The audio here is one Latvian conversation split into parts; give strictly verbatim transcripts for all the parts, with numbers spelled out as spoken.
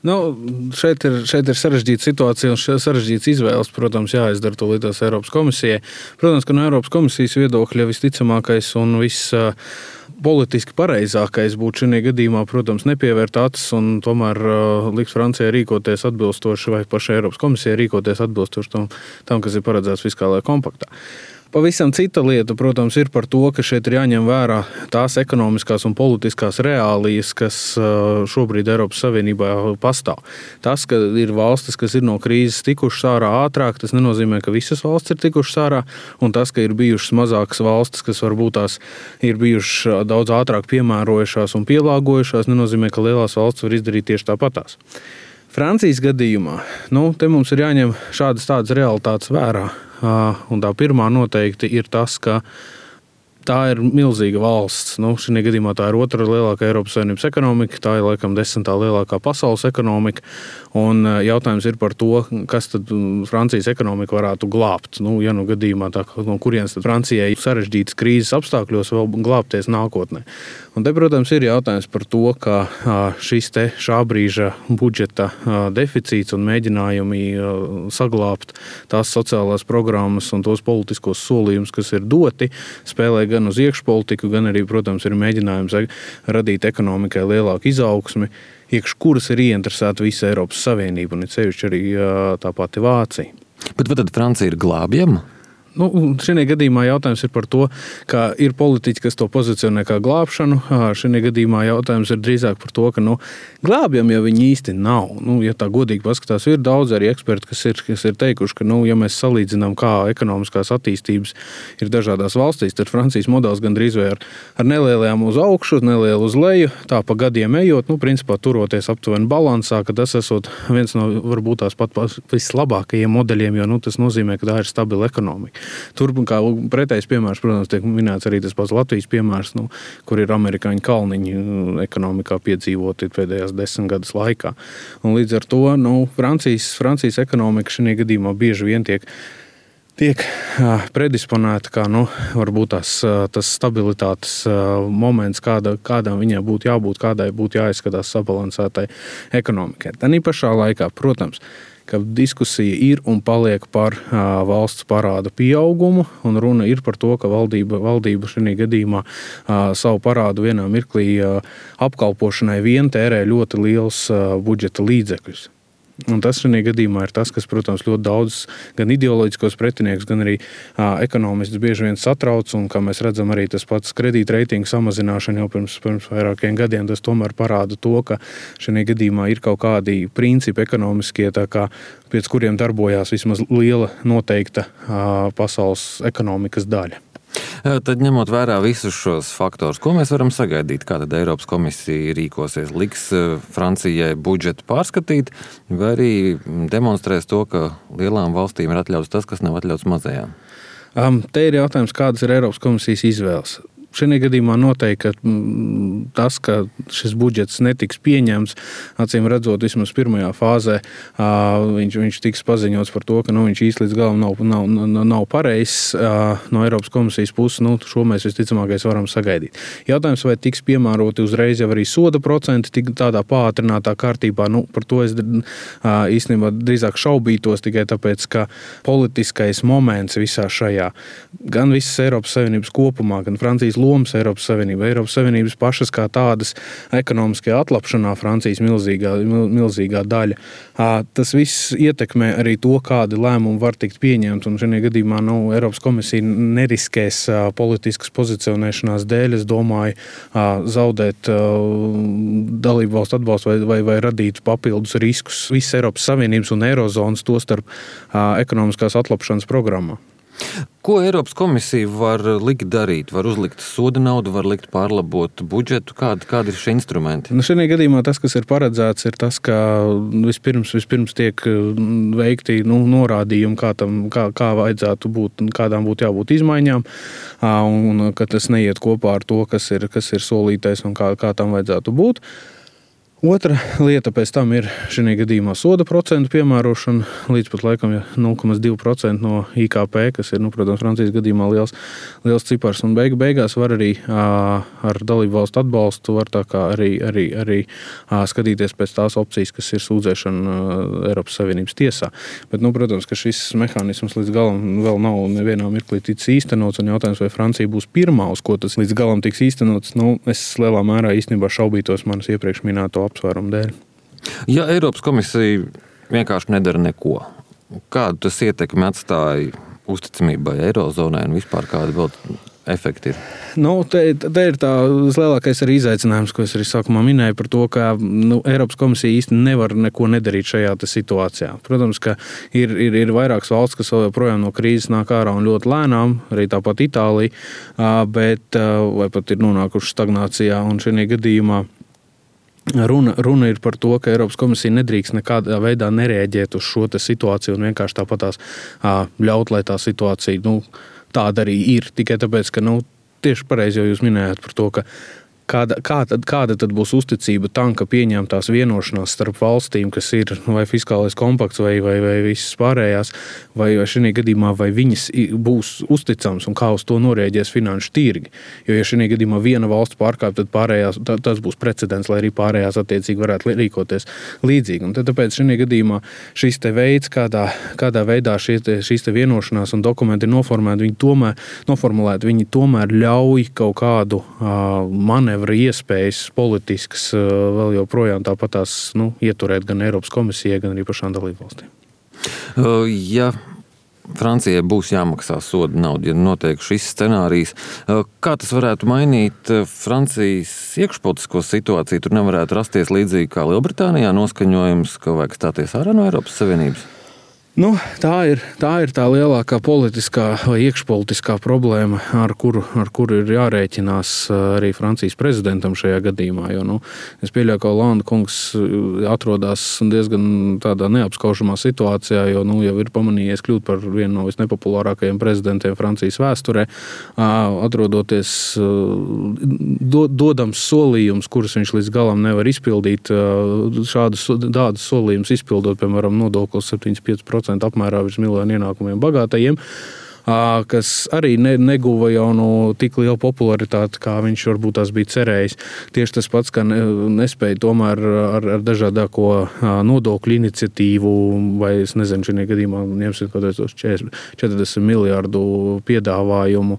Nu, šeit, ir, šeit ir sarežģīta situācija un sarežģīts izvēles, protams, jāizdara to līdzās Eiropas komisijai. Protams, ka no Eiropas komisijas viedokļa visticamākais un viss politiski pareizākais būtu šajā gadījumā, protams, nepievērt acis un tomēr uh, likt Francijai rīkoties atbilstoši vai pašai Eiropas komisijai rīkoties atbilstoši tam, tam kas ir paredzēts fiskālajā kompaktā. Pavisam cita lieta, protams, ir par to, ka šeit ir jāņem vērā tās ekonomiskās un politiskās reālijas, kas šobrīd Eiropas Savienībā pastāv. Tas, ka ir valstis, kas ir no krīzes tikušas ārā ātrāk, tas nenozīmē, ka visas valstis ir tikušas ārā, un tas, ka ir bijušas mazākas valstis, kas varbūt tās ir bijušas daudz ātrāk piemērojušās un pielāgojušās, nenozīmē, ka lielās valstis var izdarīt tieši tāpatās. Francijas gadījumā, nu, te mums ir jāņem šādas tādas realitātes vērā. Un tā pirmā noteikti ir tas, ka tā ir milzīga valsts. Nu, šajā gadījumā tā ir otra lielākā Eiropas Savienības ekonomika, tā ir laikam desmitā lielākā pasaules ekonomika. Un jautājums ir par to, kas tad Francijas ekonomika varētu glābt. Nu, ja nu gadījumā tā, no kurienes tad Francijai sarežģītas krīzes apstākļos vēl glābties nākotnē. Un te, protams, ir jautājums par to, ka šis te šā brīža budžeta deficīts un mēģinājumi saglābt tās sociālās programmas un tos politiskos solījumus, kas ir doti, spēlē gan uz iekšpolitiku, gan arī, protams, ir mēģinājums radīt ekonomikai lielāku izaugsmi, iekš kuras ir ieinteresēta visa Eiropas Savienība un ir sevišķi arī tā pati Vācija. Bet vai tad Francija ir glābjama? Nu, šajā gadījumā jautājums ir par to, ka ir politiķi, kas to pozicionē kā glābšanu. Šajā gadījumā jautājums ir drīzāk par to, ka nu, glābjam jau viņi īsti nav. Nu, ja tā godīgi paskatās, ir daudz arī eksperti, kas ir, kas ir teikuši, ka, nu, ja mēs salīdzinām, kā ekonomiskās attīstības ir dažādās valstīs, tad Francijas modelis gandrīz vai ar, ar nelielajām uz augšu, nelielu uz leju, tā pa gadiem ejot, nu, principā turoties aptuveni balansā, ka tas esot viens no varbūt tās pat vislabākajiem modeļiem, jo nu, tas nozīmē, ka tā ir stabila ekonomika. Tur, kā pretējs piemērs, protams, tiek minēts arī tas pats Latvijas piemērs, nu, kur ir amerikāņu kalniņi ekonomikā piedzīvoti pēdējās desmit gadus laikā. Un līdz ar to nu, Francijas, Francijas ekonomika šajā gadījumā bieži vien tiek, tiek predisponēta kā nu, varbūt tās, tas stabilitātes moments, kāda, kādām viņai būtu jābūt, kādai būtu jāizskatās sabalansētai ekonomikai. Tanī pašā laikā, protams, ka diskusija ir un paliek par uh, valsts parāda pieaugumu, un runa ir par to, ka valdība, valdība šajā gadījumā uh, savu parādu vienā mirklī uh, apkalpošanai vien tērē ļoti liels uh, budžeta līdzekļus. Un tas šajā gadījumā ir tas, kas, protams, ļoti daudz gan ideoloģiskos pretiniekus, gan arī ā, ekonomistus bieži vien satrauc, un kā mēs redzam arī tas pats kredītreitingu samazināšana jau pirms, pirms vairākiem gadiem, tas tomēr parāda to, ka šajā gadījumā ir kaut kādi principi ekonomiskie, tā kā pēc kuriem darbojās vismaz liela noteikta ā, pasaules ekonomikas daļa. Tad ņemot vērā visus šos faktorus, ko mēs varam sagaidīt? Kā tad Eiropas komisija rīkosies? Liks Francijai budžetu pārskatīt, vai arī demonstrēs to, ka lielām valstīm ir atļauts tas, kas nav atļauts mazajām? Um, te ir jautājums, kādas ir Eiropas komisijas izvēles. Šajā gadījumā noteikti, ka tas, ka šis budžets netiks pieņemts, acīm redzot, vismaz pirmajā fāzē, viņš, viņš tiks paziņots par to, ka nu, viņš īsti līdz galam nav, nav, nav, nav pareizs no Eiropas komisijas puses, nu, šo mēs visticamākais varam sagaidīt. Jautājums, vai tiks piemēroti uzreiz jau arī soda procenti, tik tādā pātrinātā kārtībā, nu, par to es īstenībā drīzāk šaubītos tikai tāpēc, ka politiskais moments visā šajā, gan visas Eiropas Savienības kopumā, gan Francijas lomas Eiropas Savienība, Eiropas Savienības pašas kā tādas ekonomiskajā atlapšanā, Francijas milzīgā, milzīgā daļa. Tas viss ietekmē arī to, kādi lēmumi var tikt pieņemt, un šajā gadījumā nu, Eiropas komisija neriskēs politiskas pozicionēšanās dēļ, es domāju, zaudēt dalību valstu atbalstu vai, vai, vai radīt papildus riskus visas Eiropas Savienības un Eirozonas, to starp ekonomiskās atlapšanas programmā. Ko Eiropas komisija var likt darīt? Var uzlikt soda naudu, var likt pārlabot budžetu? Kādi, kādi ir šie instrumenti? Nu, šajā gadījumā tas, kas ir paredzēts, ir tas, ka vispirms, vispirms tiek veikti nu, norādījumi, kā, tam, kā, kā vajadzētu būt, kādām būtu jābūt izmaiņām, un ka tas neiet kopā ar to, kas ir, kas ir solītais un kā, kā tam vajadzētu būt. Otra lieta pēc tam ir šī gadījumā soda procentu piemērošana līdz pat laikam nulle komats divi procenti no I K P, kas ir, nu, protams, Francijas gadījumā liels, liels cipars. Un beigu beigās var arī ā, ar dalību valstu atbalstu var tā kā arī, arī, arī ā, skatīties pēc tās opcijas, kas ir sūdzēšana ā, Eiropas Savienības tiesā. Bet, nu, protams, ka šis mehānisms līdz galam vēl nav nevienā mirklī ticis īstenots, un jautājums, vai Francija būs pirmā, uz ko tas līdz galam tiks īstenots, nu, es lielā mērā īstenībā šaubītos manas iepriekš minēto apsvērumu dēļ. Ja Eiropas komisija vienkārši nedara neko, kādu tas ietekmi atstāja uzticamībai Eirozonai un vispār kādi vēl efekti ir? Nu, te, te ir tā lielākais arī izaicinājums, ko es arī sākumā minēju par to, ka nu, Eiropas komisija īsti nevar neko nedarīt šajā situācijā. Protams, ka ir, ir, ir vairākas valsts, kas vēl joprojām no krīzes nāk ārā un ļoti lēnām, arī tāpat Itālija, bet vai pat ir nonākuši stagnācijā, un šajā gadījumā Runa, runa ir par to, ka Eiropas komisija nedrīkst nekādā veidā nereaģēt uz šo situāciju un vienkārši tāpatās ļaut, lai tā situācija nu, tāda arī ir. Tikai tāpēc, ka nu, tieši pareizi jau jūs minējāt par to, ka Kāda, kā tad, kāda tad būs uzticība tam, ka pieņemtās vienošanās starp valstīm, kas ir vai fiskālais kompakts vai, vai, vai visas pārējās, vai, vai šī gadījumā vai viņas būs uzticams un kā uz to norēģēs finanšu tirgi. Jo, ja šī gadījumā viena valsts pārkāp, tad pārējās, tas būs precedents, lai arī pārējās attiecīgi varētu rīkoties līdzīgi. Un tad, tāpēc šī gadījumā šis te veids, kādā, kādā veidā šie te, šīs te vienošanās un dokumenti ir noformēti, viņi tomēr, noformulēti, viņi tomēr ļauj kaut kādu uh, manevru iespējas politiskas vēl joprojām tāpatās nu, ieturēt gan Eiropas komisijai, gan arī pašām dalībvalstīm. Ja Francijai būs jāmaksā soda nauda, ja notiek šis scenārijs, kā tas varētu mainīt Francijas iekšpolitisko situāciju? Tur nevarētu rasties līdzīgi kā Lielbritānijā noskaņojums, ka vajag stāties ārā no Eiropas Savienības? Nu, tā, ir, tā ir tā lielākā politiskā vai iekšpolitiskā problēma, ar kuru, ar kuru ir jārēķinās arī Francijas prezidentam šajā gadījumā. Jo, nu, es pieļauju, ka Hollande kungs atrodas diezgan tādā neapskaužamā situācijā, jo nu, jau ir pamanījies kļūt par vienu no visnepopulārākajiem prezidentiem Francijas vēsturē, atrodoties do, dodams solījums, kurus viņš līdz galam nevar izpildīt. Šādus tādus solījumus izpildot, piemēram, nodoklis septiņdesmit pieci procenti apmērā virs miljonu ienākumiem bagātajiem, kas arī ne, neguva jau no tik lielu popularitāti, kā viņš varbūt tās bija cerējis. Tieši tas pats, ka nespēja tomēr ar, ar dažādāko nodokļu iniciatīvu, vai es nezinu, šī gadījumā ņemsim kaut kādos četrdesmit miljārdu piedāvājumu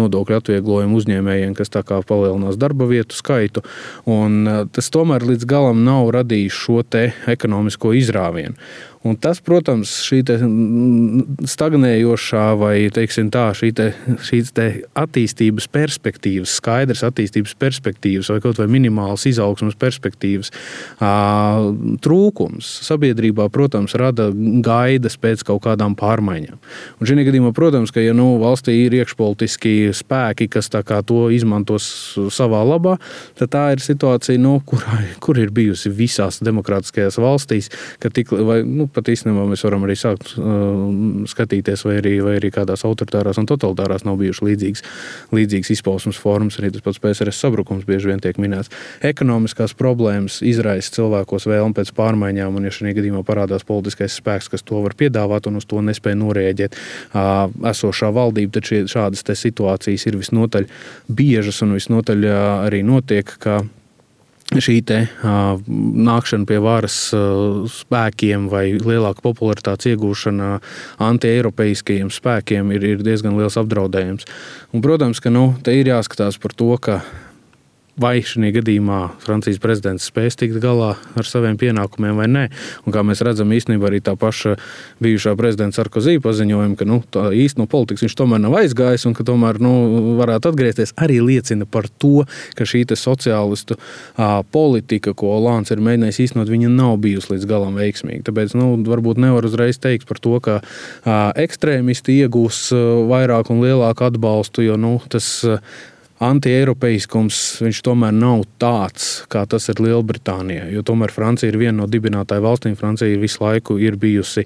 nodokļu atvieglojumu uzņēmējiem, kas tā kā palielinās darba vietu skaitu. Un tas tomēr līdz galam nav radījis šo te ekonomisko izrāvienu. Un tas, protams, šī te stagnējošā vai, teiksim tā, šī te, šīs te attīstības perspektīvas, skaidras attīstības perspektīvas vai kaut vai minimālas izaugsmas perspektīvas ā, trūkums sabiedrībā, protams, rada gaidas pēc kaut kādām pārmaiņām. Un šī gadījumā, protams, ka ja nu, valstī ir iekšpolitiski spēki, kas tā kā to izmantos savā labā, tad tā ir situācija, nu, kur, kur ir bijusi visās demokrātiskajās valstīs, ka tik, vai, nu, pat īstenībā mēs varam arī sākt uh, skatīties, vai arī, vai arī kādās autoritārās un totalitārās nav bijuši līdzīgas, līdzīgas izpausmes formas, arī tas pats P S R S sabrukums bieži vien tiek minēts. Ekonomiskās problēmas izraisa cilvēkos vēlmi pēc pārmaiņām, un ja šī gadījumā parādās politiskais spēks, kas to var piedāvāt un uz to nespēja norēģēt uh, esošā valdība, tad šie, šādas te situācijas ir visnotaļ biežas un visnotaļ uh, arī notiek, ka šī te uh, nākšana pie varas uh, spēkiem vai lielāka popularitātes iegūšana anti-eiropeiskajiem spēkiem ir, ir diezgan liels apdraudējums. Un, protams, ka nu, te ir jāskatās par to, ka vai šī gadījumā Francijas prezidents spēs tikt galā ar saviem pienākumiem vai nē. Un kā mēs redzam, īstenībā arī tā paša bijušā prezidenta Sarkozy paziņojuma, ka nu, tā īsti no politikas viņš tomēr nav aizgājis un ka tomēr nu, varētu atgriezties, arī liecina par to, ka šī te sociālistu ā, politika, ko Hollande ir mēģinājis īstenot, viņa nav bijusi līdz galam veiksmīga. Tāpēc nu, varbūt nevar uzreiz teikt par to, ka ā, ekstrēmisti iegūs vairāk un lielāku atbalstu, jo nu, tas anti-eiropeiskums viņš tomēr nav tāds, kā tas ir Lielbritānijā. Jo tomēr Francija ir viena no dibinātāju valstīm. Francija visu laiku ir bijusi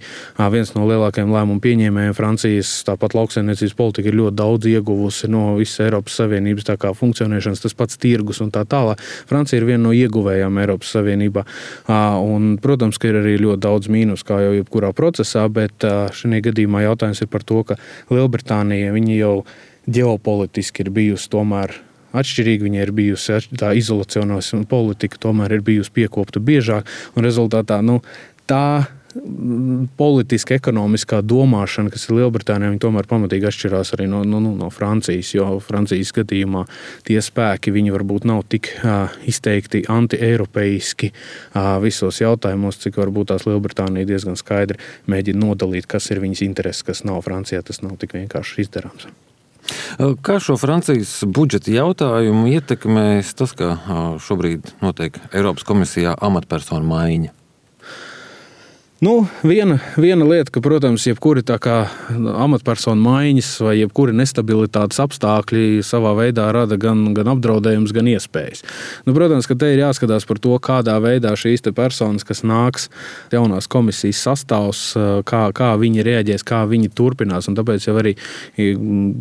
viens no lielākajiem lēmumu pieņēmējiem. Francijas tāpat lauksaimniecības politika ir ļoti daudz ieguvusi no visas Eiropas Savienības tā kā funkcionēšanas, tas pats tirgus un tā tālāk. Francija ir viena no ieguvējām Eiropas Savienībā. Un, protams, ka ir arī ļoti daudz mīnus, kā jau jebkurā procesā, bet šajā gadījumā jautājums ir par to, ka Lielbritānija viņi jau ģeopolitiski ir bijusi tomēr atšķirīga, viņa ir bijusi tā izolacionās politika, tomēr ir bijusi piekopta biežāk, un rezultātā nu, tā politiska, ekonomiskā domāšana, kas ir Lielbritānijā, viņi tomēr pamatīgi atšķirās arī no, no, no Francijas, jo Francijas gadījumā tie spēki, viņi varbūt nav tik uh, izteikti anti-eiropeiski uh, visos jautājumos, cik varbūt tās Lielbritānija diezgan skaidri mēģina nodalīt, kas ir viņas intereses, kas nav Francijā, tas nav tik vienkārši izdarāms. Kā šo Francijas budžeta jautājumu ietekmēs tas, ka šobrīd notiek Eiropas komisijā amatpersonu maiņa? Nu, viena, viena lieta, ka, protams, jebkuri tā kā amatpersonu maiņas vai jebkuri nestabilitātes apstākļi savā veidā rada gan, gan apdraudējums, gan iespējas. Nu, protams, ka te ir jāskatās par to, kādā veidā šīs te personas, kas nāks jaunās komisijas sastāvs, kā, kā viņi reaģēs, kā viņi turpinās. Un tāpēc jau arī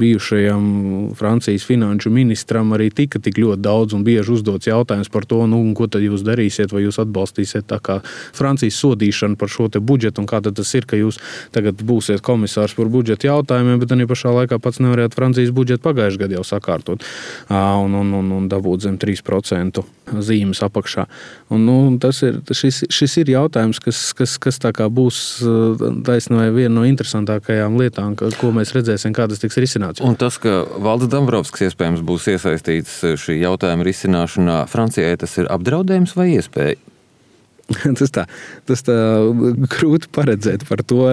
bijušajam Francijas finanšu ministram arī tika tik ļoti daudz un bieži uzdots jautājums par to, nu, ko tad jūs darīsiet, vai jūs atbalstīsiet tā kā Francijas sodīšanu par šo te budžetu, un kā tad tas ir, ka jūs tagad būsiet komisārs par budžeta jautājumiem, bet arī pašā laikā pats nevarējāt Francijas budžetu pagājušajā gadā jau sakārtot un, un, un, un dabūt zem trīs procentu zīmes apakšā. Un, nu, tas ir, šis, šis ir jautājums, kas, kas, kas tā kā būs taisnība viena no interesantākajām lietām, ko mēs redzēsim, kā tas tiks risināts. Un tas, ka Valdis Dombrovskis iespējams būs iesaistīts šī jautājuma risināšanā, Francijai tas ir apdraudējums vai iespēja? Tas tā, tas tā grūti paredzēt par to,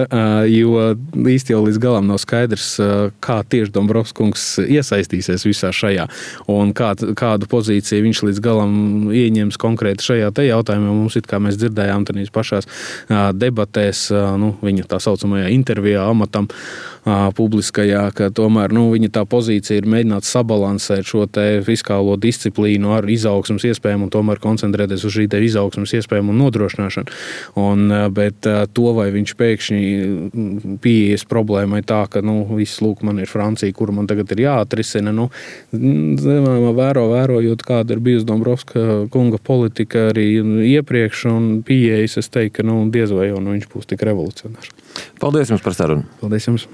jo īsti jau līdz galam nav skaidrs, kā tieši Dombrovskis iesaistīsies visā šajā un kā, kādu pozīciju viņš līdz galam ieņems konkrēti šajā te jautājumā. Mums it kā mēs dzirdējām tādīs pašās debatēs, nu, viņa tā saucamajā intervijā amatam publiskajā, ka tomēr nu, viņa tā pozīcija ir mēģināt sabalansēt šo te fiskālo disciplīnu ar izaugsmas iespējām un tomēr koncentrēties uz šī te izaugsmas iespējām un nodrošināšanu. Un, bet to, vai viņš pēkšņi pieejas problēmai tā, ka nu, viss lūk, man ir Francija, kuru man tagad ir jāatrisina, nu, vēro, vērojot, kāda ir bijusi Dombrovska kunga politika arī iepriekš un pieejas, es teiktu, ka nu, diez vai jau nu, viņš būs tik revolucionārs. Paldies jums par sarunu. Paldies jums.